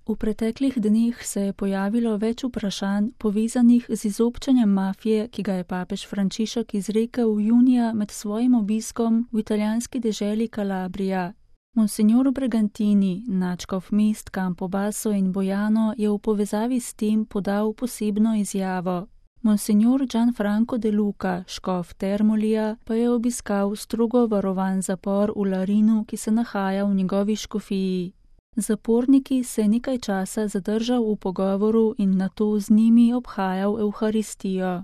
V preteklih dneh se je pojavilo več vprašanj povezanih z izobčanjem mafije, ki ga je papež Frančišek izrekel junija med svojim obiskom v italijanski deželi Calabria. Monsignor Bregantini, nadškof mest Campobasso in Bojano, je v povezavi s tem podal posebno izjavo. Monsignor Gianfranco De Luca, škof Termolija, pa je obiskal strogo varovan zapor v Larinu, ki se nahaja v njegovi škofiji. Zaporniki se je nekaj časa zadržal v pogovoru in nato z njimi obhajal Evharistijo.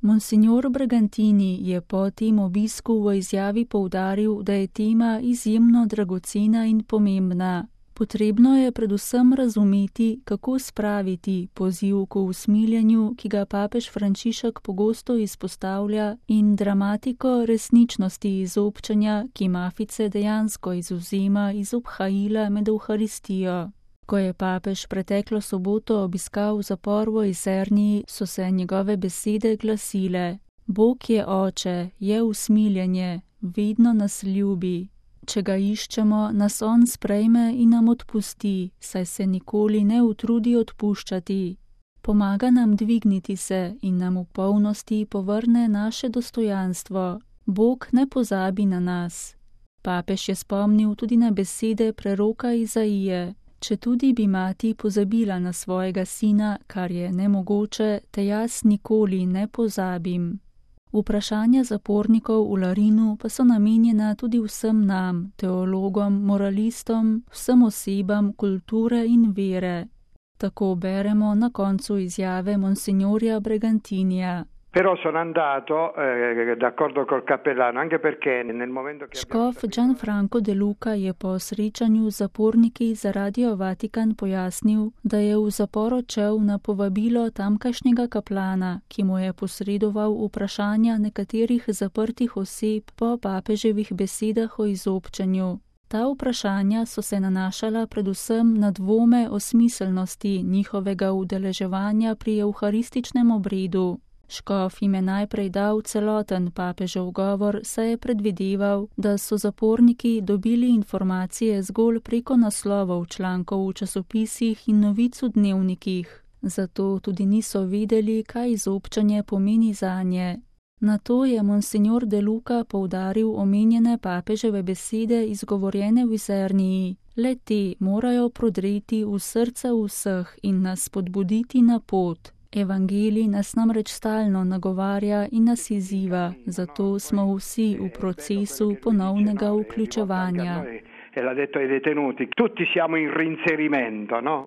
Monsignor Bregantini je po tem obisku v izjavi poudaril, da je tema izjemno dragocena in pomembna. Potrebno je predvsem razumeti, kako spraviti poziv k usmiljenju, ki ga papež Frančišek pogosto izpostavlja, in dramatiko resničnosti izobčanja, ki mafice dejansko izvzema iz obhajila med Evharistijo. Ko je papež preteklo soboto obiskal zapor v Iserniji, so se njegove besede glasile: Bog je oče, je usmiljenje, vedno nas ljubi. Če ga iščemo, nas on sprejme in nam odpusti, saj se nikoli ne utrudi odpuščati. Pomaga nam dvigniti se in nam v polnosti povrne naše dostojanstvo. Bog ne pozabi na nas. Papež je spomnil tudi na besede preroka Izaije: Četudi bi mati pozabila na svojega sina, kar je nemogoče, te jaz nikoli ne pozabim. Vprašanja zapornikov v Larinu pa so namenjena tudi vsem nam, teologom, moralistom, vsem osebam kulture in vere. Tako beremo na koncu izjave monsignorja Bregantinija. Però sono andato d'accordo col cappellano, anche perché nel momento che Škof Gianfranco De Luca je po srečanju z zaporniki za Radio Vatikan pojasnil, da je v zapor odšel na povabilo tamkajšnjega kaplana, ki mu je posredoval vprašanja nekaterih zaprtih oseb po papeževih besedah o izobčanju. Ta vprašanja so se nanašala predvsem na dvome o smiselnosti njihovega udeleževanja pri evharističnem obredu. Škof jim je najprej dal celoten papežev govor, saj je predvideval, da so zaporniki dobili informacije zgolj preko naslovov člankov v časopisih in novic v dnevnikih. Zato tudi niso vedeli, kaj izobčanje pomeni zanje. Nato je monsignor De Luca poudaril omenjene papeževe besede izgovorjene v Iserniji. Le te morajo prodreti v srca vseh in nas spodbuditi na pot. Evangelij nas namreč stalno nagovarja in nas izziva, zato smo vsi v procesu ponovnega vključevanja. E l'ha detto ai detenuti, tutti siamo in reinserimento, no?